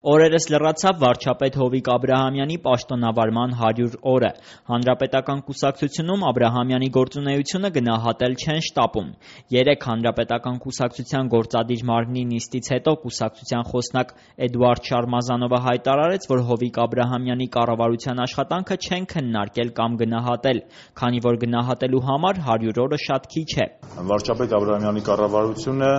Օրերս լրացավ վարչապետ Հովիկ Աբրահամյանի պաշտոնավարման 100 օրը։ Հանրապետական կուսակցությունում Աբրահամյանի գործունեությունը գնահատել չեն շտապում։ Երեկ Հանրապետական կուսակցության գործադիր մարմնի նիստից հետո կուսակցության խոսնակ Էդուարդ Շարմազանովը հայտարարեց, որ Հովիկ Աբրահամյանի կառավարության աշխատանքը չեն քննարկել կամ գնահատել, քանի որ գնահատելու համար 100 օրը շատ քիչ է։ Վարչապետ Աբրահամյանի կառավարությունը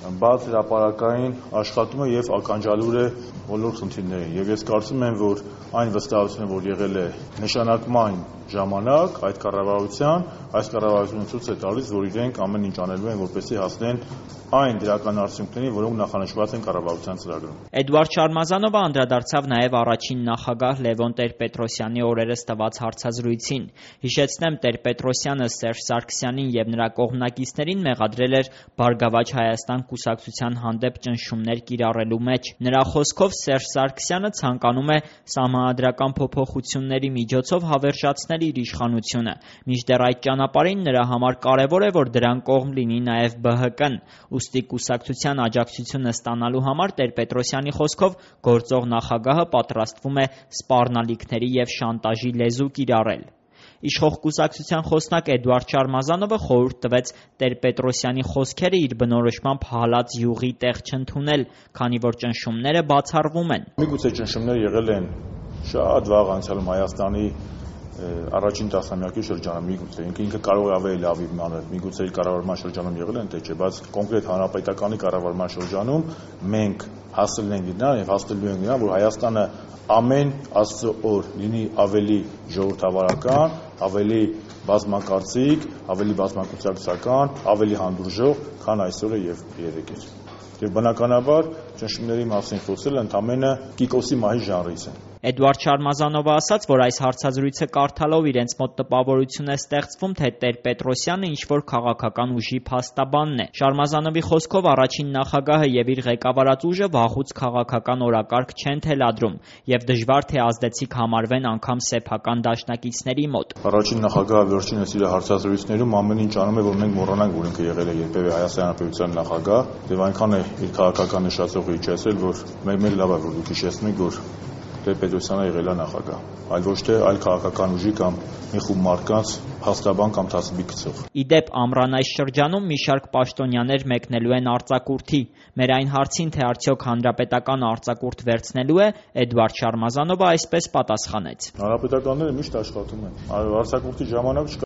բաց հրապարակային աշխատում է և ականջալուր է բոլոր խնդիրներին, և ես կարծում եմ, որ այն վստահությունը, որ եղել է նշանակման ժամանակ այդ կառավարությունը ցույց է տալիս, որ իրենք ամեն ինչ անելու են, որպեսզի հասնեն այն դրական արդյունքներին, որոնք նախանշված են կառավարության ծրագրում։ Էդուարդ Շարմազանովը անդրադարձավ նաև առաջին նախագահ Լևոն Տեր-Պետրոսյանի օրերս տված հարցազրույցին։ Հիշեցնեմ, Տեր-Պետրոսյանը Սերժ Սարգսյանին և նրա կողմնակիցներին մեղադրել էր «Բարգավաճ Հայաստան» կուսակցության հանդեպ ճնշումներ կիրառելու մեջ։ Նրա խոսքով Սերժ Սարգսյանը ցանկանում է սահմանադրական փոփոխությունների միջոցով հավերժացնել իր իշխանությունը, մինչդեռ այդ ճանապարհին նրա համար կարևոր է, որ դրան կողմ լինի նաև ԲՀԿ-ն։ Ուստի կուսակցության աջակցությունը ստանալու համար Տեր-Պետրոսյանի խոսքով գործող նախագահը պատրաստվում է սպառնալիքների և շանտաժի լեզու կիրառել։ Իշխող կուսակցության խոսնակ Էդուարդ Շարմազանովը խորհուրդ տվեց Տեր-Պետրոսյանի խոսքերը իր բնորոշմամբ հալած յուղի տեղ չընդունել, քանի որ ճնշումները բացառվում են։ Միգուցե ճնշումներ եղել են շատ վաղ անցյալում Հայաստանի առաջին տասնամյակի շրջանում, միգուցե ինքը կարող է ավելի լավ իմանալ, միգուցե իր կառավարման շրջանում եղել են, թե չէ, բայց կոնկրետ հանրապետականի կառավարման շրջանում մենք հասել ենք նրան և հասնելու ենք նրան, որ Հայաստանը ամեն Աստծո օր լինի ավելի ժողովրդավարական, ավելի բազմակարծիք, ավելի բազմակուսակցական, ավելի հանդուրժող, քան այսօր է և երեկ էր։ Եվ բնականաբար ճնշումների մասին խոսելը ընդամենը Կիկոսի մահի ժանրից է։ Էդուարդ Շարմազանովը ասաց, որ այս հարցազրույցը կարդալով իրենց մոտ տպավորություն է ստեղծվում, թե Տեր-Պետրոսյանը ինչ-որ քաղաքական ուժի փաստաբանն է։ Շարմազանովի խոսքով առաջին նախագահը և իր ղեկավարած ուժը վաղուց քաղաքական օրակարգ չեն թելադրում և դժվար թե ազդեցիկ համարվեն անգամ սեփական դաշնակիցների մոտ։ Առաջին նախագահը վերջինս իր հարցազրույցներում ամեն ինչ անում է, որ մենք մոռանանք, որ ինքը եղել է երբևէ Հայաստանի Հանրապետության նախագահ, և այնքան է իր քաղաքական նշացողը իջեցրել, որ մեկ լավ է, որ դուք հիշեցնում եք, որ Տեր-Պետրոսյանը եղել է նախագահ, այլ ոչ թե այլ քաղաքական ուժի կամ մի խումբ մարդկանց փաստաբան կամ թասուբի գցող։ Ի դեպ, ամռան այս շրջանում մի շարք պաշտոնյաներ մեկնելու են արձակուրդի։ Մեր այն հարցին, թե արդյոք հանրապետական արձակուրդ վերցնելու է, Էդուարդ Շարմազանովը այսպես պատասխանեց. Հանրապետականները միշտ աշխատում են, արձակուրդի ժամանակ չկա։